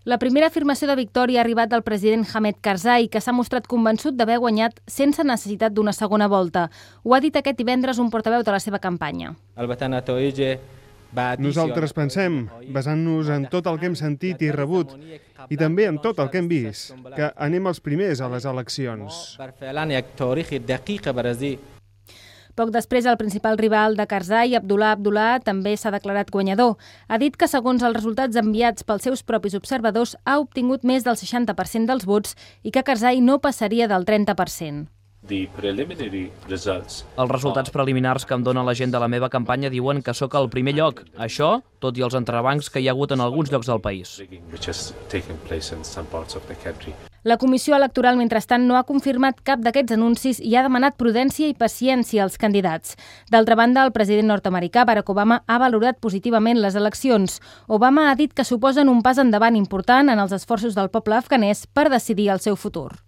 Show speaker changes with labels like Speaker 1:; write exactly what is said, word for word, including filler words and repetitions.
Speaker 1: La primera afirmació de victòria ha arribat del president Hamid Karzai, que s'ha mostrat convençut d'haver guanyat sense necessitat d'una segona volta. Ho ha dit aquest divendres un portaveu de la seva campanya.
Speaker 2: Nosaltres pensem, basant-nos en tot el que hem sentit i rebut, i també en tot el que hem vist, que anem els primers a les eleccions.
Speaker 1: Poc després, el principal rival de Karzai, Abdullah Abdullah, també s'ha declarat guanyador. Ha dit que, segons els resultats enviats pels seus propis observadors, ha obtingut més del seixanta per cent dels vots i que Karzai no passaria del trenta per cent.
Speaker 3: Els resultats preliminars que em dona la gent de la meva campanya diuen que sóc al primer lloc. Això, tot i els entrebancs que hi ha hagut en alguns llocs del país.
Speaker 1: La Comissió Electoral, mentrestant, no ha confirmat cap d'aquests anuncis i ha demanat prudència i paciència als candidats. D'altra banda, el president nord-americà, Barack Obama, ha valorat positivament les eleccions. Obama ha dit que suposen un pas endavant important en els esforços del poble afganès per decidir el seu futur.